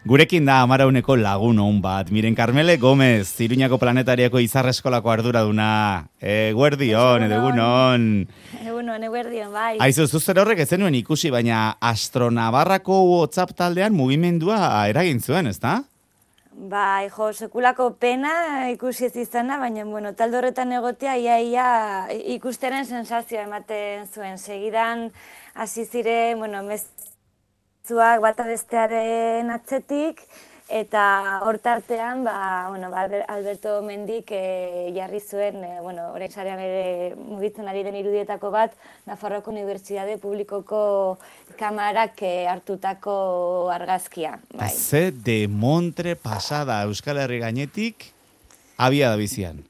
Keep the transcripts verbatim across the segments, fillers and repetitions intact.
Gurekin da amarauneko lagun hon bat. Miren Carmele Gomez, Iruñako Planetariako Izar Eskolako arduraduna. Eguerdion, edo egunon. Egunon, eguerdion, bai. Aizu, zuzer horrek ez zenuen ikusi, baina Astronavarrako WhatsApp taldean mugimendua eragin zuen, ezta? Bai, jo, sekulako pena ikusi ez izana, baina, bueno, talde horretan egotea, ia, ia ikusteren sensazioa ematen zuen. Segidan, hasi zire, bueno, mezuak bata bestearen atzetik, eta hortartean, ba, bueno, Alberto Mendik e, jarri zuen, e, bueno, orain sarean ere mugitzen ari den irudietako bat, Nafarroako Unibertsitate Publikoko kamarak e, hartutako argazkia. Bai. Ze de montre pasada Euskal Herri gainetik, abia da bizian.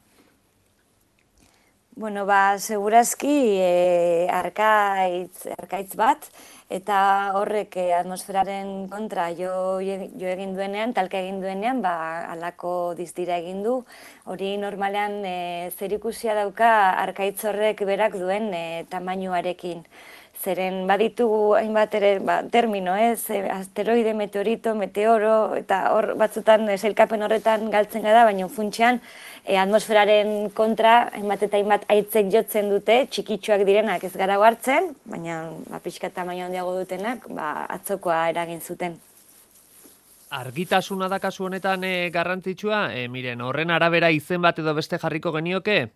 Bueno, ba, segurazki e, arkaitz, arkaitz bat, eta horrek eh, atmosferaren kontra jo, jo egin duenean, talka egin duenean, ba, alako dizdira egin du. Hori normalean e, zerikusia dauka arkaitz horrek berak duen e, tamainuarekin. Zeren baditugu hainbat ere ba, termino, ez? Asteroide, meteorito, meteoro, eta hor batzutan sailkapen horretan galtzen gara, baina funtsean e, atmosferaren kontra hainbat eta hainbat aitzek jotzen dute, txikitsuak direnak ez gara hartzen, baina ba, pixka tamaina handiago dutenak ba, atzokoa eragin zuten. Argitasuna da kasu honetan e, garrantzitsua, e, miren, horren arabera izen bat edo beste jarriko genioke?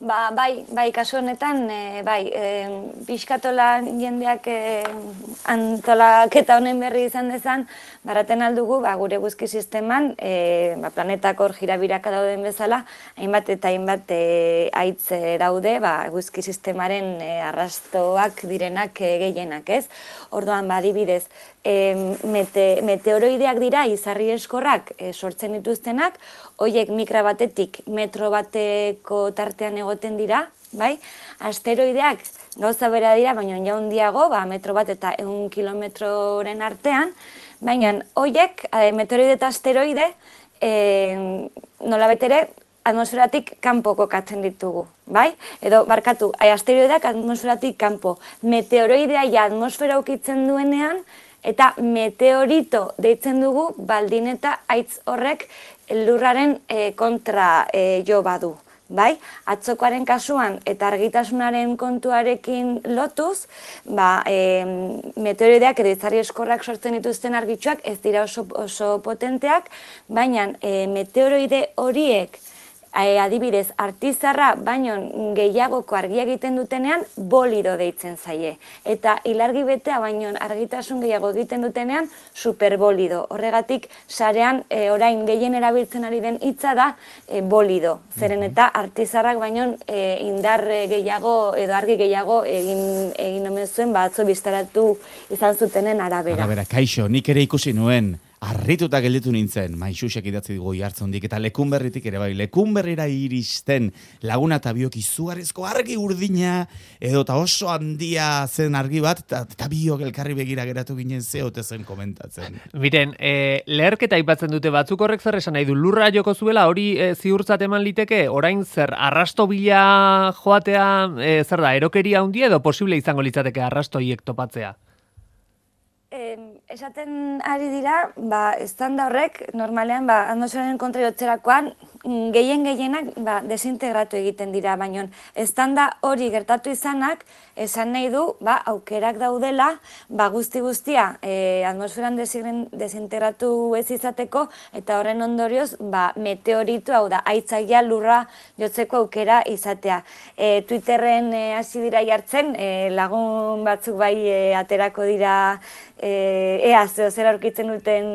Ba, bai, bai, kasu honetan, e, bai, e, pixkatola jendeak e, antolaketa honen berri izan dezan, baraten aldugu, ba, gure eguzki sisteman, e, ba, planetak hor jirabiraka dauden bezala, hainbat eta hainbat e, aitz e, daude, ba, eguzki sistemaren e, arrastoak direnak e, gehienak, ez? Orduan, ba, adibidez, e, mete, meteoroideak dira, izarri eskorrak e, sortzen dituztenak, horiek mikra batetik metro bateko tartean egoten dira, bai? Asteroideak gauza bera dira, baina ja handiago, ba, metro bat eta ehun kilometroren artean, baina horiek, meteoroide eta asteroide, e, nolabait ere, atmosferatik kanpo kokatzen ditugu, bai? Edo, barkatu, asteroideak atmosferatik kanpo, meteoroidea ja atmosfera ukitzen duenean, eta meteorito deitzen dugu baldin eta aitz horrek lurraren e, kontra e, jo badu. Bai? Atzokoaren kasuan eta argitasunaren kontuarekin lotuz, ba, e, meteoroideak edo izarri eskorrak sortzen dituzten argitsuak ez dira oso, oso potenteak, baina e, meteoroide horiek E, adibidez, artizarra baino gehiagoko argia egiten dutenean bolido deitzen zaie. Eta ilargi betea baino argitasun gehiago egiten dutenean superbolido. Horregatik, sarean e, orain gehien erabiltzen ari den hitza da e, bolido. Zeren eta artizarrak baino e, indar gehiago edo argi gehiago egin, egin omen zuen batzo biztaratu izan zutenen arabera. Arabera, kaixo, nik ere ikusi nuen. Arrituta gelditu nintzen, Maixusek idatzi dugu jartzondik, eta Lekunberritik ere bai, Lekunberrira iristen laguna eta biok izugarrizko argi urdina, edo eta oso handia zen argi bat, eta biok elkarri begira geratu ginen zeote zen komentatzen. Miren, e, leherketa aipatzen dute batzuk horrek zer esan nahi du, lurra joko zuela, hori e, ziurtzat eman liteke, orain zer, arrasto bila joatea, e, zer da, erokeria handia edo posible izango litzateke arrastoiek topatzea? Eh, esaten ari dira, ba, estanda horrek, normalean, ba, atmosferaren kontra jotzerakoan, gehien gehienak ba, desintegratu egiten dira, baina estanda hori gertatu izanak, esan nahi du, ba, aukerak daudela, ba, guzti guztia e, atmosferan desintegratu ez izateko, eta horren ondorioz, ba, meteoritu, hau da, aitzagia lurra jotzeko aukera izatea. E, Twitterren e, hasi dira jartzen, e, lagun batzuk bai e, aterako dira, E, ea, zeo zer aurkitzen duten,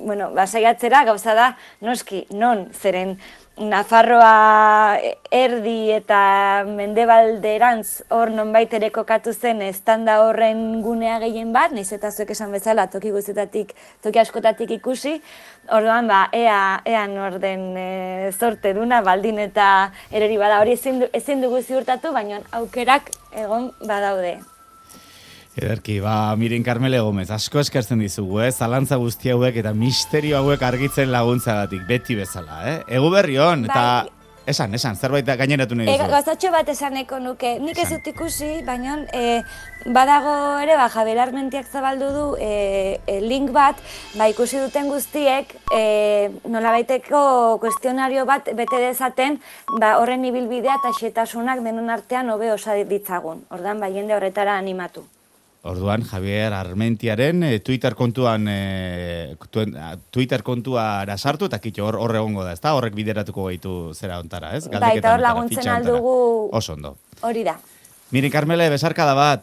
bueno, basaiatzera, gauza da, noski, non, zeren Nafarroa erdi eta mendebalderantz hor nonbait ere kokatu zen estanda horren gunea gehien bat, nahiz eta zuek esan bezala toki guztietatik, toki askotatik ikusi, orduan, ba, ea, ea norden e, zorte duna, baldin eta erori bada, hori ezin, ezin dugu ziurtatu, baina aukerak egon badaude. Ederki, ba, Miren Carmele Gomez, asko eskertzen dizugu, eh? Zalantza guzti hauek eta misterio hauek argitzen laguntzagatik, beti bezala, eh? Egu berri hon, eta Esan, esan, zerbait gaineratu nahi E, duzu. Gazatxo bat esaneko nuke, nik ez Esan. dut ikusi, baina e, badago ere, ba, Javier Armentiak zabaldu du e, e, link bat, ba, ikusi duten guztiek, e, nolabaiteko kuestionario bat bete dezaten, ba, horren ibilbidea eta xetasunak denon artean hobe osa ditzagun. Ordan, ba, jende horretara animatu. Orduan, Javier Armentiaren eh, Twitter kontuan eh, tuen- a, Twitter kontuara sartu eta kitxo hor hor egongo da, ezta? Horrek bideratuko gaitu zera ontara, ez? Bai, eta hor Galdeketa laguntzen fitxa hontara. aldugu Oso ondo. hori da. Miren, Carmele, besarkada bat.